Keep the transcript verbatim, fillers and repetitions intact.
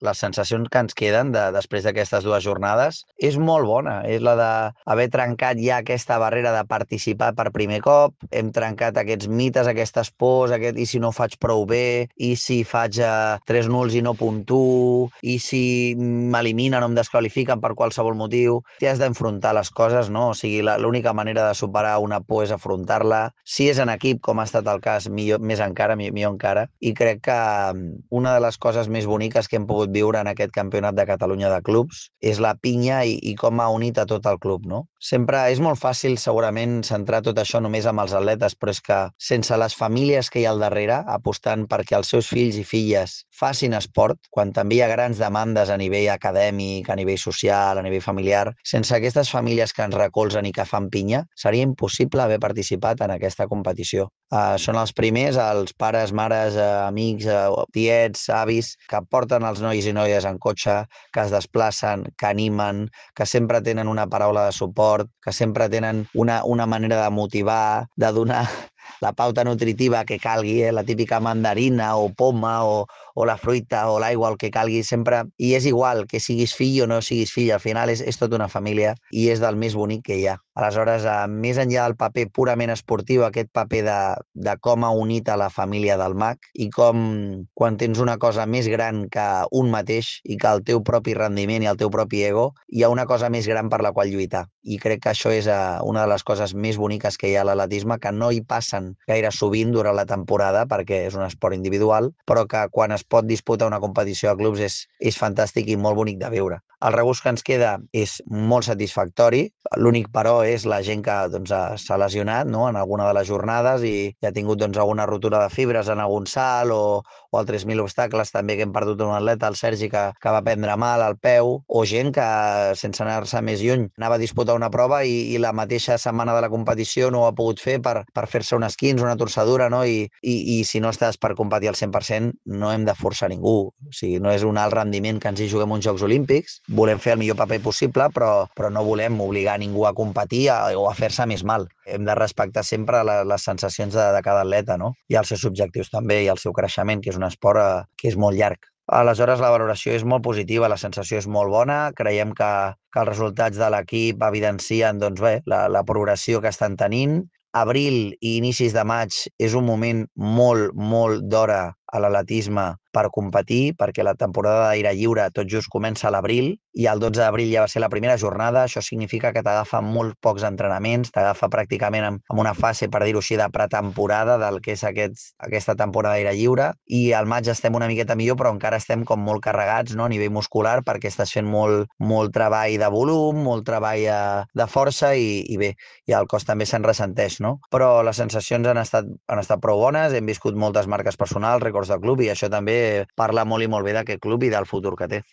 les sensacions que ens queden de, després d'aquestes dues jornades és molt bona. És la d'haver trencat ja aquesta barrera de participar per primer cop, hem trencat aquests mites, aquestes pors, aquest, i si no faig prou bé, i si faig eh, tres nuls i no puntuo, i si m'eliminen o em desqualifiquen per qualsevol motiu. T'hi has d'enfrontar les coses, no? O sigui, la- l'única manera de superar una por és afrontar-la. Si és en equip, com ha estat el cas, millor, més encara, mi- millor encara. I crec que mm, una de les coses més boniques que hem pogut viure en aquest campionat de Catalunya de clubs és la pinya i, i com ha unit a tot el club, no? Sempre és molt fàcil, segurament, centrar tot això només amb els atletes, però és que sense les famílies que hi ha al darrere, apostant perquè els seus fills i filles facin esport, quan també hi ha grans demandes a nivell acadèmic, a nivell social, a nivell familiar, sense aquestes famílies que ens recolzen i que fan pinya, seria impossible haver participat en aquesta competició. Uh, són els primers, els pares, mares, uh, amics, uh, tiets, avis, que porten els nois i noies en cotxe, que es desplacen, que animen, que sempre tenen una paraula de suport, que sempre tenen una, una manera de motivar, de donar la pauta nutritiva que calgui, eh? La típica mandarina o poma o, o la fruita o l'aigua, el que calgui sempre. I és igual que siguis fill o no siguis fill, al final és, és tota una família i és del més bonic que hi ha. Aleshores, eh, més enllà del paper purament esportiu, aquest paper de, de com ha unit a la família del mag i com quan tens una cosa més gran que un mateix i que el teu propi rendiment i el teu propi ego, hi ha una cosa més gran per la qual lluitar. I crec que això és eh, una de les coses més boniques que hi ha a l'atletisme, que no hi passen gaire sovint durant la temporada perquè és un esport individual, però que quan es pot disputar una competició de clubs és, és fantàstic i molt bonic de veure. El regust que ens queda és molt satisfactori, l'únic però és la gent que doncs, s'ha lesionat, no?, en alguna de les jornades i, i ha tingut doncs, alguna rotura de fibres en algun salt o, o altres mil obstacles, també que hem perdut un atleta, el Sergi, que, que va prendre mal al peu, o gent que, sense anar-se més lluny, anava a disputar una prova i, i la mateixa setmana de la competició no ho ha pogut fer per, per fer-se un esquins, una torçadura, no? I, i, i si no estàs per competir al cent per cent, no hem de forçar ningú. O sigui, no és un alt rendiment que ens hi juguem uns Jocs Olímpics, volem fer el millor paper possible, però, però no volem obligar ningú a competir a, o a fer-se més mal. Hem de respectar sempre la, les sensacions de, de cada atleta, no? I els seus objectius també, i el seu creixement, que és un esport eh, que és molt llarg. Aleshores, la valoració és molt positiva, la sensació és molt bona, creiem que, que els resultats de l'equip evidencien doncs, bé, la, la progressió que estan tenint. Abril i inicis de maig és un moment molt, molt d'hora a l'atletisme per competir, perquè la temporada d'aire lliure tot just comença a l'abril i el dotze d'abril ja va ser la primera jornada. Això significa que t'agafa molt pocs entrenaments, t'agafa pràcticament en, en una fase, per dir-ho així, de pretemporada del que és aquest, aquesta temporada d'aire lliure, i al maig estem una miqueta millor, però encara estem com molt carregats, no?, a nivell muscular, perquè estàs fent molt, molt treball de volum, molt treball eh, de força i, i bé, i el cos també se'n ressenteix, no? Però les sensacions han estat, han estat prou bones, hem viscut moltes marques personals, rècords de club, i això també parla molt i molt bé d'aquest club i del futur que té.